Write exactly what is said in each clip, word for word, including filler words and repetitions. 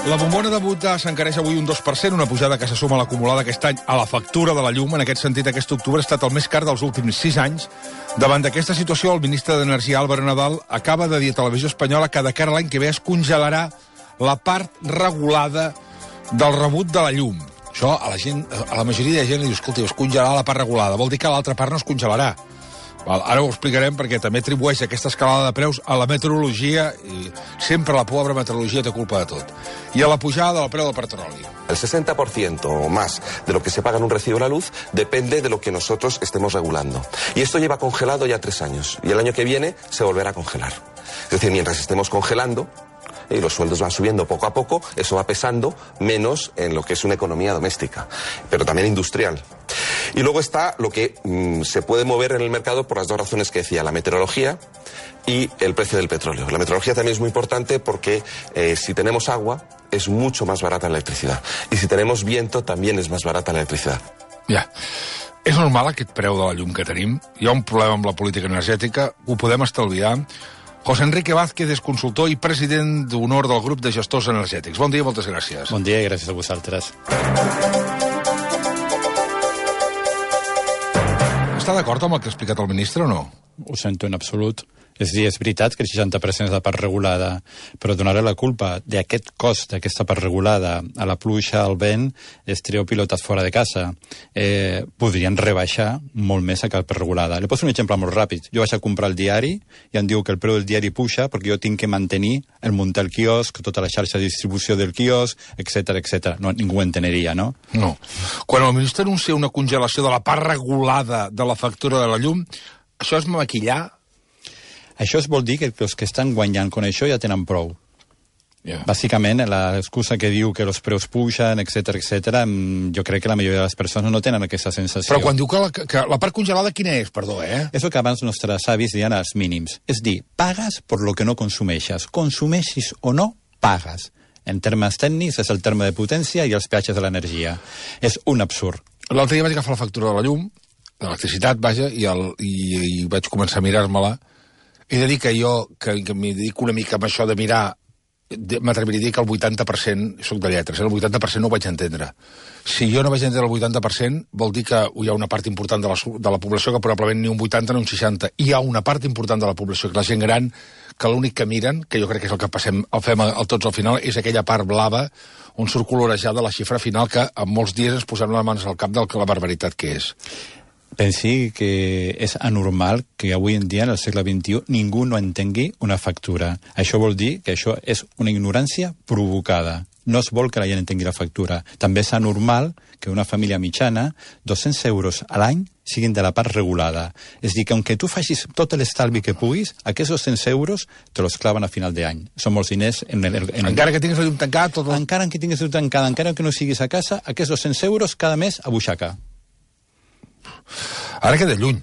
La bombona de Butà s'encareix avui un dos per cent, una pujada que se suma a l'acumulada aquest any a la factura de la llum. En aquest sentit, aquest octubre ha estat el més car dels últims sis anys. Davant d'aquesta situació, el ministre d'Energia, Álvaro Nadal, acaba de dir a Televisió Espanyola que de cara a l'any que ve es congelarà la part regulada del rebut de la llum. Això a la gent, a la majoria de gent li diu, escolta, es congelarà la part regulada. Vol dir que l'altra part no es congelarà. Val, ara ho explicarem perquè també atribueix aquesta escalada de preus a la meteorologia i sempre la pobra meteorologia té culpa de tot. I a la pujada del preu del petroli. El sesenta por ciento o más de lo que se paga en un recibo de la luz depende de lo que nosotros estemos regulando. Y esto lleva congelado ya tres años. Y el año que viene se volverá a congelar. Es decir, mientras estemos congelando y los sueldos van subiendo poco a poco, eso va pesando menos en lo que es una economía doméstica, pero también industrial. Y luego está lo que mmm, se puede mover en el mercado por las dos razones que decía, la meteorología y el precio del petróleo. La meteorología también es muy importante porque eh, si tenemos agua es mucho más barata la electricidad. Y si tenemos viento también es más barata la electricidad. Ja. És normal aquest preu de la llum que tenim? Hi ha un problema amb la política energètica? Ho podem estalviar? José Enrique Vázquez és consultor i president d'honor del grup de gestors energètics. Bon dia, moltes gràcies. Bon dia i gràcies a vosaltres. Està d'acord amb el que ha explicat el ministre o no? Ho sento en absolut. És a dir, és veritat que el seixanta per cent és la part regulada, però donar la culpa d'aquest cost, d'aquesta part regulada, a la pluja, al vent, és trio pilotat fora de casa. Eh, podrien rebaixar molt més aquesta part regulada. Li poso un exemple molt ràpid. Jo vaig a comprar el diari i em diu que el preu del diari puja perquè jo tinc que mantenir el muntar el quiosc, tota la xarxa de distribució del quiosc, etcètera, etcètera. No, ningú enteneria, no? No. Quan el ministre anuncia una congelació de la part regulada de la factura de la llum, això és maquillar? Això es vol dir que els que estan guanyant con això ja tenen prou. Yeah. Bàsicament, l'excusa que diu que els preus pugen, etcètera, etcètera, jo crec que la majoria de les persones no tenen aquesta sensació. Però quan diu que la, que la part congelada, quina és? Perdó, eh? És el que abans nostres avis diuen als mínims. És dir, pagues per lo que no consumeixes. Consumeixis o no, pagues. En termes tècnics, és el terme de potència i els peatges de l'energia. És un absurd. L'altre dia vaig agafar la factura de la llum, d'electricitat, vaja, i, el, i, i vaig començar a mirar-me-la. He de dir que jo, que, que m'hi dedico una mica amb això de mirar, m'atreviria a dir que el vuitanta per cent, soc de lletres, el vuitanta per cent no ho vaig entendre. Si jo no vaig entendre el vuitanta per cent, vol dir que hi ha una part important de la, de la població que probablement ni un vuitanta ni un seixanta. Hi ha una part important de la població, que la gent gran, que l'únic que miren, que jo crec que és el que passem, el fem el, tots al final, és aquella part blava on surt colorejada la xifra final que en molts dies ens posem les mans al cap de la barbaritat que és. Pensi que és anormal que avui en dia, en el segle vint-i-u, ningú no entengui una factura. Això vol dir que això és una ignorància provocada. No es vol que la gent entengui la factura. També és anormal que una família mitjana, dos-cents euros a l'any, siguin de la part regulada. És dir, que aunque tu facis tot l'estalvi que puguis, aquests dos-cents euros te los claven a final d'any. Són molts diners. En el, en... Encara que tinguis la llum tancada... Tot el... Encara que tinguis la llum tancada, encara que no siguis a casa, aquests dos-cents euros cada mes a butxaca. Ara queda lluny,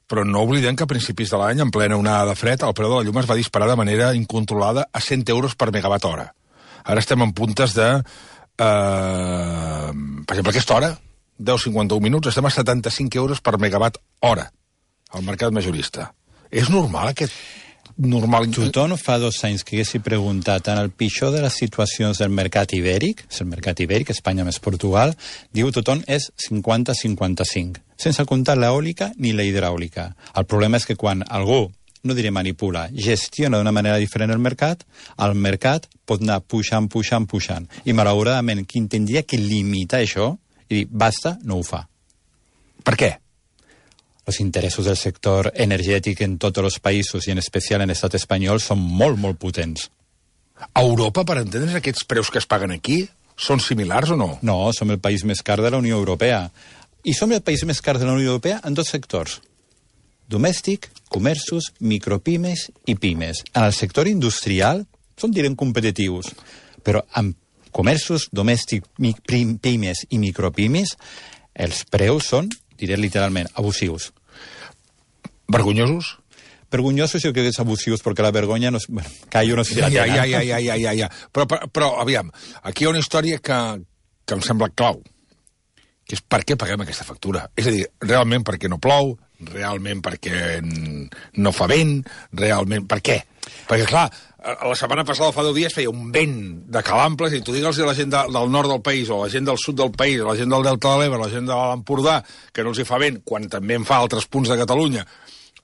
però no oblidem que a principis de l'any, en plena onada de fred, el preu de la llum es va disparar de manera incontrolada a cent euros per megawatt hora. Ara estem en puntes de... Eh, per exemple, aquesta hora, deu cinquanta-un minuts, estem a setanta-cinc euros per megawatt hora al mercat majorista. És normal aquest... normal... Tothom fa dos anys que haguessi preguntat en el pitjor de les situacions del mercat ibèric, és el mercat ibèric, Espanya més Portugal, diu tothom és cinquanta cinquanta-cinc, sense comptar l'eòlica ni la hidràulica. El problema és que quan algú, no diré manipula, gestiona d'una manera diferent el mercat, el mercat pot anar pujant, pujant, pujant. I malauradament, qui tindria que limitar això i dir, basta, no ho fa. Per què? Els interessos del sector energètic en tots els països i en especial en l'estat espanyol són molt, molt potents. A Europa, per entendre's, aquests preus que es paguen aquí són similars o no? No, som el país més car de la Unió Europea. I som el país més car de la Unió Europea en dos sectors. Domèstic, comerços, micropimes i pimes. En el sector industrial són, direm, competitius. Però en comerços, domèstic, pimes i micropimes, els preus són, diré literalment, abusius. Vergonyosos? Vergonyosos jo crec que és abusius, perquè la vergonya no és... Bueno, callo no sé si la ja, tenen. ja, ja, ja, ja, ja, ja. Però, però, però, aviam, aquí hi ha una història que, que em sembla clau, que és per què paguem aquesta factura. És a dir, realment perquè no plou, realment perquè no fa vent, realment... Per què? Perquè, clar, la setmana passada, fa deu dies, feia un vent de calamples i tu digues a la gent de, del nord del país o la gent del sud del país, la gent del Delta de l'Ebre, la gent de l'Empordà, que no els hi fa vent, quan també en fa a altres punts de Catalunya,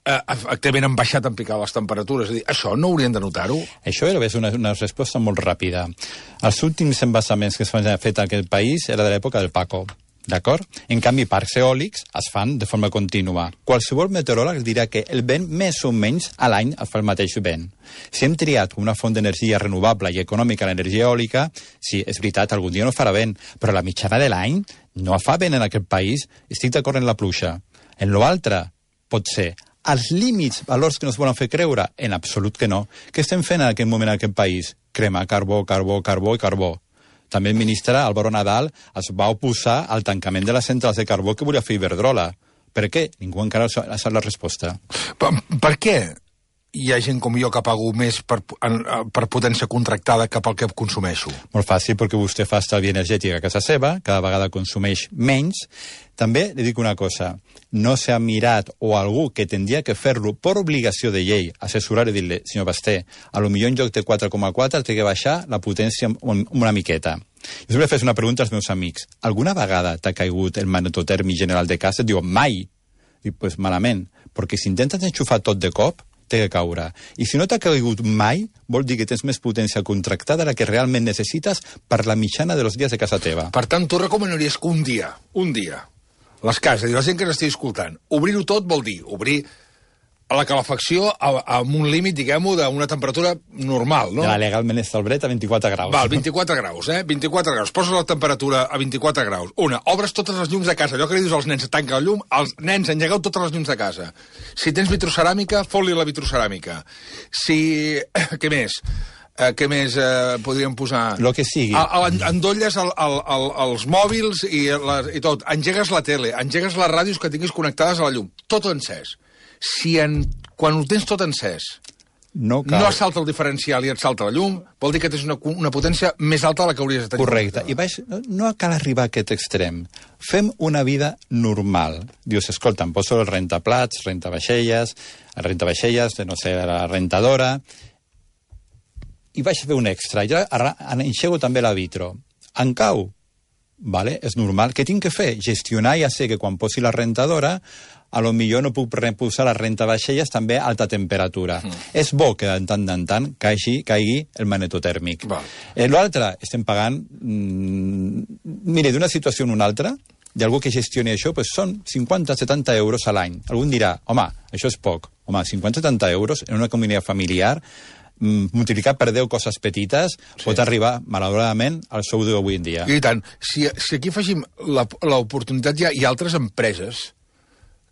eh, efectivament han baixat en picar les temperatures. És a dir, això no haurien de notar-ho? Això era una, una resposta molt ràpida. Els últims embassaments que s'han fet en aquest país era de l'època del Paco. D'acord? En canvi, parcs eòlics es fan de forma contínua. Qualsevol meteoròleg dirà que el vent més o menys a l'any es fa el mateix vent. Si hem triat una font d'energia renovable i econòmica l'energia eòlica, sí, és veritat, algun dia no farà vent, però la mitjana de l'any no fa vent en aquest país. Estic d'acord en la pluja. En l'altre, pot ser. Els límits, valors que no es volen fer creure? En absolut que no. Què estem fent en aquest moment en aquest país? Cremar carbó, carbó, carbó i carbó. També el ministre Álvaro Nadal es va oposar al tancament de les centrals de carbó que volia fer Iberdrola. Per què? Ningú encara ha sap la resposta. Per, per què hi ha gent com jo que pago més per, per potència contractada que pel que consumeixo? Molt fàcil, perquè vostè fa estalvi energètic a casa seva, cada vegada consumeix menys. També li dic una cosa, no s'ha mirat, o algú que tindria que fer-lo per obligació de llei, assessorar i dir-li, senyor Basté, a lo millor en lloc de quatre coma quatre té que baixar la potència una miqueta. Jo sempre fes una pregunta als meus amics. Alguna vegada t'ha caigut el magnetotèrmic general de casa? Et diuen, mai. Dic, pues malament, perquè si intentes enxufar tot de cop, té que caure. I si no t'ha caigut mai, vol dir que tens més potència contractada de la que realment necessites per la mitjana dels dies de casa teva. Per tant, tu recomanaries que un dia, un dia, les cases, i la gent que n'estigui escoltant, obrir-ho tot vol dir obrir a la calefacció amb un límit, diguem-ho, d'una temperatura normal, no? Ja, legalment establert a vint-i-quatre graus. Val, vint-i-quatre graus, eh? vint-i-quatre graus. Poses la temperatura a vint-i-quatre graus. Una, obres totes les llums de casa. Allò que li dius als nens, tanca el llum, els nens, engegueu totes les llums de casa. Si tens vitroceràmica, fot-li la vitroceràmica. Si... Què més? Uh, què més uh, podríem posar? Lo que sigui. A, a, endolles el, el, el, els mòbils i, la, i tot. Engegues la tele, engegues les ràdios que tinguis connectades a la llum. Tot encès. Si en, quan ho tens tot encès no, cal... no et salta el diferencial i et salta la llum, vol dir que tens una, una potència més alta de la que hauries de tenir. Correcte. I baix, no, no cal arribar a aquest extrem. Fem una vida normal. Dius, escolta, em poso el rentaplats, rentavaixelles, el rentavaixelles, no sé, la rentadora, i vaig fer un extra. Jo enxego també la vitro. En cau? Vale, és normal. Què tinc que fer? Gestionar, ja sé que quan posi la rentadora a lo millor no puc reposar la rentavaixelles també a alta temperatura. Mm. És bo que de tant en tant caigui, caigui el magnetotèrmic. Eh, L'altre, estem pagant... Mm, mire, d'una situació en una altra, d'algú que gestioni això, pues són cinquanta a setanta euros a l'any. Algú dirà, home, això és poc. Home, cinquanta a setanta euros en una comunitat familiar, multiplicat per deu coses petites, sí, pot arribar, malauradament, al sou d'avui en dia. I tant. Si, si aquí afegim l'oportunitat, hi ha, hi ha altres empreses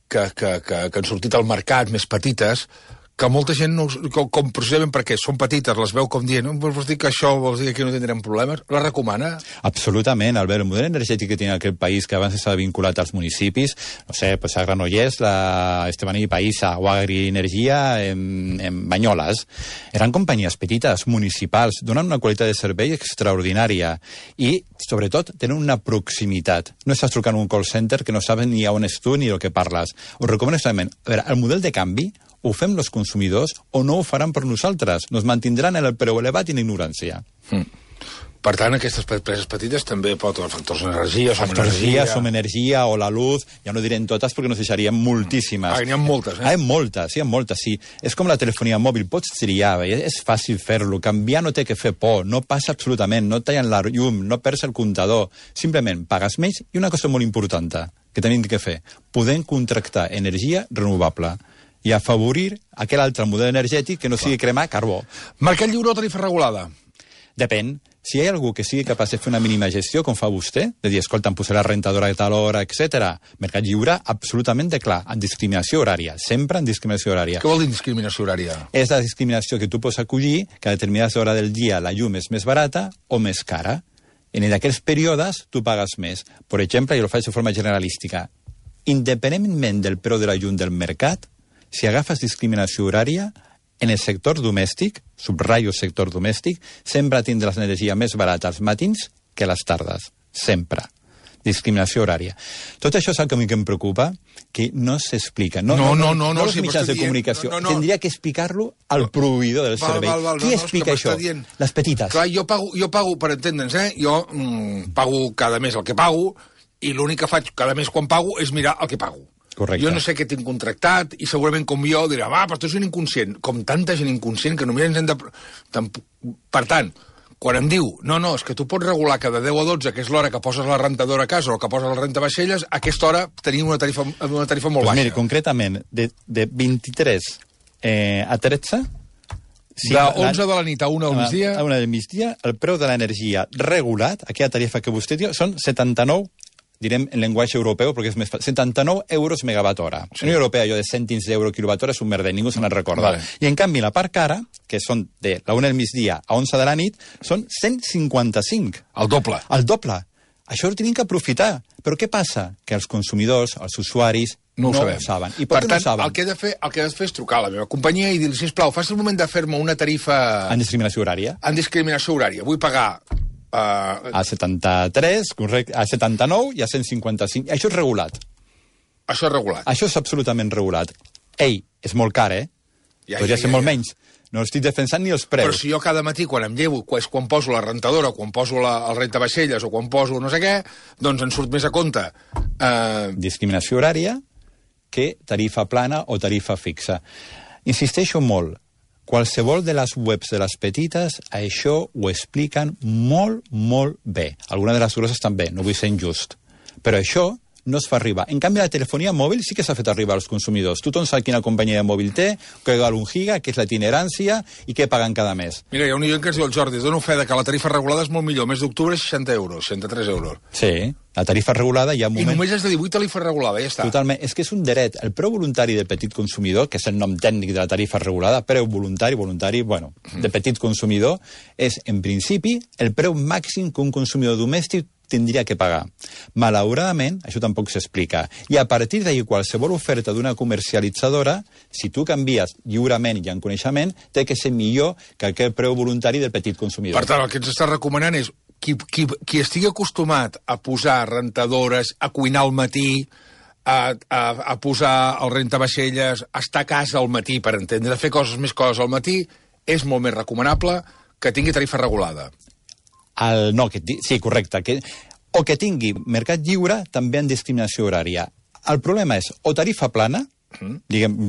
que, que, que, que han sortit al mercat, més petites, que molta gent, no, com, com precisament perquè són petites, les veu com dient, no, vols dir que això vols dir que aquí no tindrem problemes? La recomana? Absolutament, Albert. El model energètic que tenia aquest país, que abans estava vinculat als municipis, no sé, pues a Granollers, la Estebaní Païssa o Agrienergia en, en Banyoles, eren companyies petites, municipals, donen una qualitat de servei extraordinària i, sobretot, tenen una proximitat. No estàs trucant un call center que no saben ni on ets tu ni del que parles. Us recomano extremament. A veure, el model de canvi ho fem els consumidors o no ho faran per nosaltres. Nos mantindran en el preu elevat i en ignorància. Mm. Per tant, aquestes empreses petites també pot els factors d'energia, som factors energia... som energia o la luz, ja no direm totes perquè nos deixarien moltíssimes. Ah, n'hi ha moltes, eh? Ah, hi ha moltes, hi ha moltes, sí. És com la telefonia mòbil, pots triar, és fàcil fer-lo, canviar no té que fer por, no passa absolutament, no tallen la llum, no perds el comptador, simplement pagues més i una cosa molt important que tenim que fer, podem contractar energia renovable i afavorir aquell altre model energètic que no sigui cremar carbó. Mercat lliure o tarifa regulada? Depèn. Si hi ha algú que sigui capaç de fer una mínima gestió, com fa vostè, de dir, escolta, em posarà rentadora a tal hora, etcètera. Mercat lliure, absolutament de clar, en discriminació horària, sempre en discriminació horària. Què vol dir discriminació horària? És la discriminació que tu pots acollir que a determinades hores del dia la llum és més barata o més cara. En aquells períodes tu pagues més. Per exemple, jo ho faig de forma generalística. Independentment del preu de la llum del mercat, si agafes discriminació horària, en el sector domèstic, subratllo sector domèstic, sempre tindràs l'energia més barata als matins que a les tardes. Sempre. discriminació horària. Tot això és el que a mi que em preocupa, que no s'explica. No, no, no, no, no, no, no els sí, mitjans de dient, comunicació. no, no, no. Tindria que explicar-lo al proveïdor del val, servei. val, val, Qui no, explica no, això? Dient... Les petites. Clar, jo pago, jo pago per entendre'ns, eh? Jo mm, pago cada mes el que pago i l'únic que faig cada mes quan pago és mirar el que pago. Correcte. Jo no sé què tinc contractat i segurament com jo dirà, va, però tu ets un inconscient. Com tanta gent inconscient que només ens hem de... Per tant, quan em diu, no, no, és que tu pots regular cada deu o dotze, que és l'hora que poses la rentadora a casa o que poses la rentavaixelles, a aquesta hora tenim una tarifa, una tarifa molt pues baixa. Miri, concretament, de, de vint-i-tres eh, a tretze... Sí, de onze de la nit a una del migdia... A una del migdia, el preu de l'energia regulat, aquella tarifa que vostè diu, són setanta-nou, direm en llenguatge europeu, perquè és més fàcil, setanta-nou euros megawatt hora. Sí. La Unió Europea, allò de cèntims d'euro quilowatt hora és un merder, ningú se n'en recorda. Vale. I en canvi, la part cara, que són de la una del migdia a onze de la nit, són cent cinquanta-cinc. El doble. El doble. Això ho tenim que aprofitar. Però què passa? Que els consumidors, els usuaris, no ho, no sabem. ho saben. I per per tant, no saben? el que, he de fer, el que he de fer és trucar a la meva companyia i dir-li, sisplau, faci el moment de fer-me una tarifa... En discriminació horària. En discriminació horària. Vull pagar... Uh... A setanta-tres, correcte, a setanta-nou i a cent cinquanta-cinc. Això és regulat. Això és regulat. Això és absolutament regulat. Ei, és molt car, eh? Ja, Podria ja, ser ja, molt ja. menys. No estic defensant ni els preus. Però si jo cada matí, quan em llevo, és quan poso la rentadora, quan poso la, el rentavaixelles o quan poso no sé què, doncs em surt més a compte. Uh... Discriminació horària que tarifa plana o tarifa fixa. Insisteixo molt. Qualsevol de les webs de les petites, això ho expliquen molt, molt bé. Alguna de les grosses també, no vull ser injust. Però això no es fa arribar. En canvi, la telefonia mòbil sí que s'ha fet arribar als consumidors. Tothom sap quina companyia de mòbil té, que val un giga, que és la itinerància i què paguen cada mes. Mira, hi ha un oient que es diu el Jordi, dono fe de que la tarifa regulada és molt millor. Mes d'octubre, seixanta euros, seixanta-tres euros. Sí, la tarifa regulada hi ha un moment... I només és de divuit tarifa regulada, ja està. Totalment. És que és un dret. El preu voluntari del petit consumidor, que és el nom tècnic de la tarifa regulada, preu voluntari, voluntari, bueno, de petit consumidor, és, en principi, el preu màxim que un consumidor domèstic tindria que pagar. Malauradament, això tampoc s'explica. I a partir d'ahir, qualsevol oferta d'una comercialitzadora, si tu canvies lliurement i en coneixement, té que ser millor que aquell preu voluntari del petit consumidor. Per tant, el que ens està recomanant és qui, qui, qui estigui acostumat a posar rentadores, a cuinar al matí, a, a, a posar el rentavaixelles, a estar a casa al matí, per entendre, a fer coses més coses al matí, és molt més recomanable que tingui tarifa regulada. El, no, que, sí, correcte. Que, o que tingui mercat lliure també en discriminació horària. El problema és o tarifa plana, mm. diguem,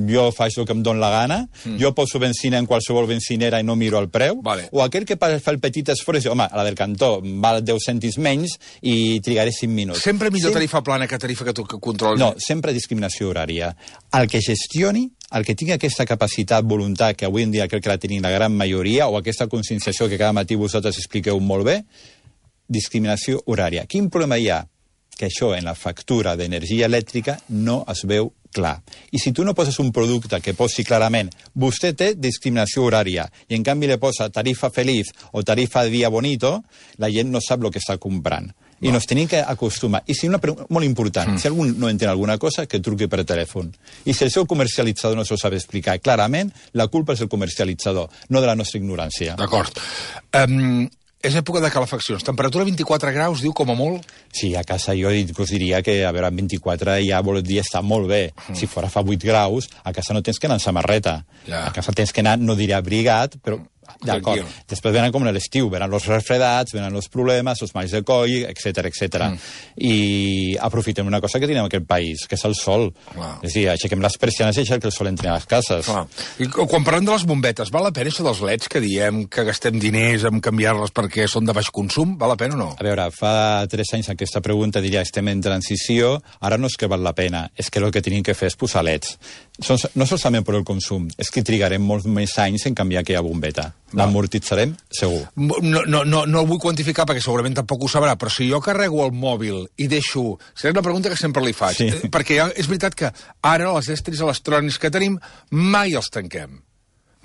jo faig el que em dóna la gana, mm. jo poso benzina en qualsevol benzinera i no miro el preu, vale. O aquell que fa el petit esforç, home, la del cantó val deu cèntims menys i trigaré cinc minuts. Sempre millor Sem tarifa plana que tarifa que tu que controles. No, sempre discriminació horària. El que gestioni, el que tingui aquesta capacitat, voluntat, que avui en dia crec que la tenim la gran majoria, o aquesta conscienciació que cada matí vosaltres expliqueu molt bé, discriminació horària. Quin problema hi ha? Que això en la factura d'energia elèctrica no es veu clar. I si tu no poses un producte que posi clarament vostè té discriminació horària i en canvi le posa tarifa feliç o tarifa de dia bonito, la gent no sap el que està comprant. I no. Nos tenim que acostumar. I si una pregunta molt important, mm. si algú no entén alguna cosa, que truqui per telèfon. I si el seu comercialitzador no s'ho sap explicar clarament, la culpa és del comercialitzador, no de la nostra ignorància. D'acord. Um, és època de calefaccions. Temperatura vint-i-quatre graus, diu, com a molt? Sí, a casa jo us diria que, a veure, vint-i-quatre ja vol dir està molt bé. Mm. Si fora fa vuit graus, a casa no tens que anar en samarreta. Ja. A casa tens que anar, no diré abrigat, però... D'acord. Després venen com en l'estiu, venen els refredats, venen els problemes, els malls de coll, etcètera, etcètera. Mm. I aprofitem una cosa que tenim en aquest país, que és el sol. Wow. És a dir, aixequem les persianes i deixem que el sol entri a les cases. Wow. I quan parlem de les bombetes, val la pena això dels leds que diem que gastem diners en canviar-les perquè són de baix consum? Val la pena o no? A veure, fa tres anys aquesta pregunta diria estem en transició, ara no és que val la pena, és que el que tenim que fer és posar leds. No solament per el consum, és que trigarem molts més anys en canviar aquella bombeta. L'amortitzarem, segur. No, no, no, no el vull quantificar perquè segurament tampoc ho sabrà, però si jo carrego el mòbil i deixo... Serà una pregunta que sempre li faig. Sí. Perquè és veritat que ara els estris electrònics que tenim mai els tanquem.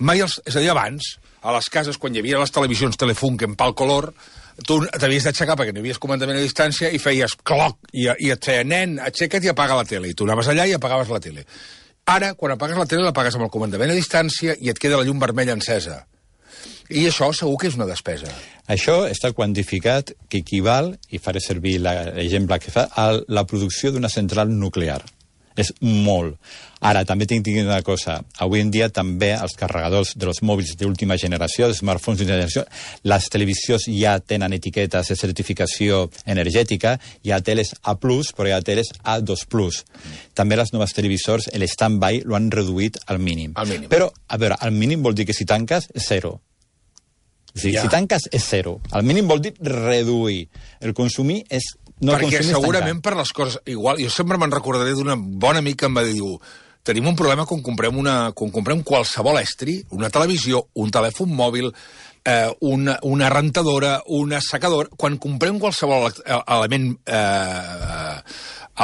Mai els... És a dir, abans, a les cases, quan hi havia les televisions Telefunken pel color, tu t'havies d'aixecar perquè no hi havies comandament a distància i feies cloc, i, i et feia, nen, aixeca't i apaga la tele. I tu anaves allà i apagaves la tele. Ara, quan apagues la tele, l'apagues amb el comandament a distància i et queda la llum vermella encesa. I això segur que és una despesa. Això està quantificat que equival, i faré servir l'exemple que fa, a la producció d'una central nuclear. És molt. Ara, també tinc que dir una cosa. Avui en dia també els carregadors dels mòbils d'última generació, els smartphones d'última generació, les televisions ja tenen etiquetes de certificació energètica, hi ha teles A plus, però hi ha teles A dos plus. També les noves televisors, el stand-by, lo han reduït al mínim. Al mínim. Però, a veure, al mínim vol dir que si tanques, és zero. Si, ja. si tanques, és zero. Al mínim vol dir reduir. El consumir és... No perquè segurament per les coses... Igual, jo sempre me'n recordaré d'una bona amic que em va dir, diu, tenim un problema quan comprem, una, quan comprem qualsevol estri, una televisió, un telèfon mòbil, eh, una, una rentadora, una secadora... Quan comprem qualsevol element, eh,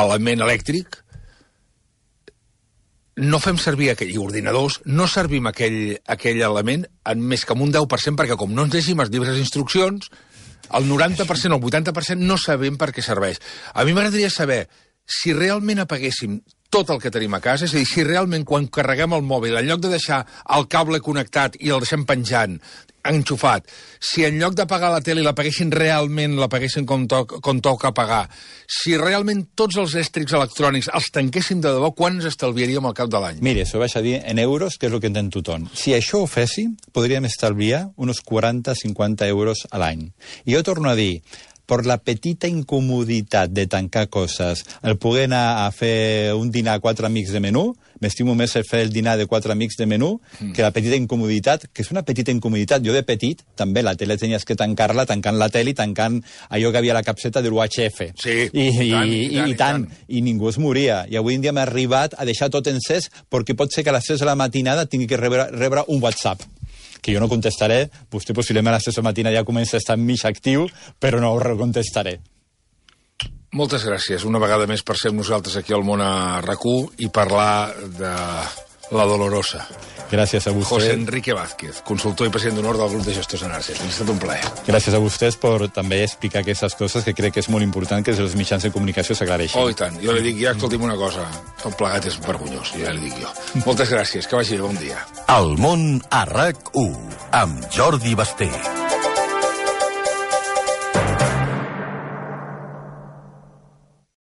element elèctric, no fem servir aquell, i ordinadors, no servim aquell, aquell element en més que en un deu per cent, perquè com no ens llegim els llibres d'instruccions, el noranta per cent o el vuitanta per cent no sabem per què serveix. A mi m'agradaria saber si realment apaguéssim tot el que tenim a casa, és a dir, si realment quan carreguem el mòbil, en lloc de deixar el cable connectat i el deixem penjant, enxufat, si en lloc d'apagar la tele l'apaguessin realment, l'apaguessin com, to com toca apagar, si realment tots els èstrics electrònics els tanquéssim de debò, quan ens estalviaríem al cap de l'any? Mire, això vaig a dir en euros, que és el que entén tothom. Si això ho féssim, podríem estalviar uns quaranta a cinquanta euros a l'any. I jo torno a dir, per la petita incomoditat de tancar coses, el poder anar a fer un dinar a quatre amics de menú, m'estimo més el fer el dinar de quatre amics de menú mm. que la petita incomoditat, que és una petita incomoditat. Jo de petit, també, la tele tenies que tancar-la, tancant la tele i tancant allò que havia a la capseta de l'U H F. Sí, I, i, i, tant, i, i, tant, i, tant, i tant. I ningú es moria. I avui en dia m'ha arribat a deixar tot encès perquè pot ser que a les tres de la matinada tingui que rebre, rebre un WhatsApp, que jo no contestaré. Vostè possiblement a les tres de la matina ja comença a estar mig actiu, però no ho contestaré. Moltes gràcies una vegada més per ser amb nosaltres aquí al Món a RAC-u i parlar de la Dolorosa. Gràcies a vostè. José Enrique Vázquez, consultor i president d'honor del grup de gestors energètics. Ha estat un plaer. Gràcies a vostès per també explicar aquestes coses que crec que és molt important que els mitjans de comunicació s'aclareixin. Oh, i tant. Jo li dic ja, escolti'm una cosa, tot plegat és vergonyós, ja li dic jo. Moltes gràcies, que vagi bé, bon dia. El Món a RAC-u, amb Jordi Basté.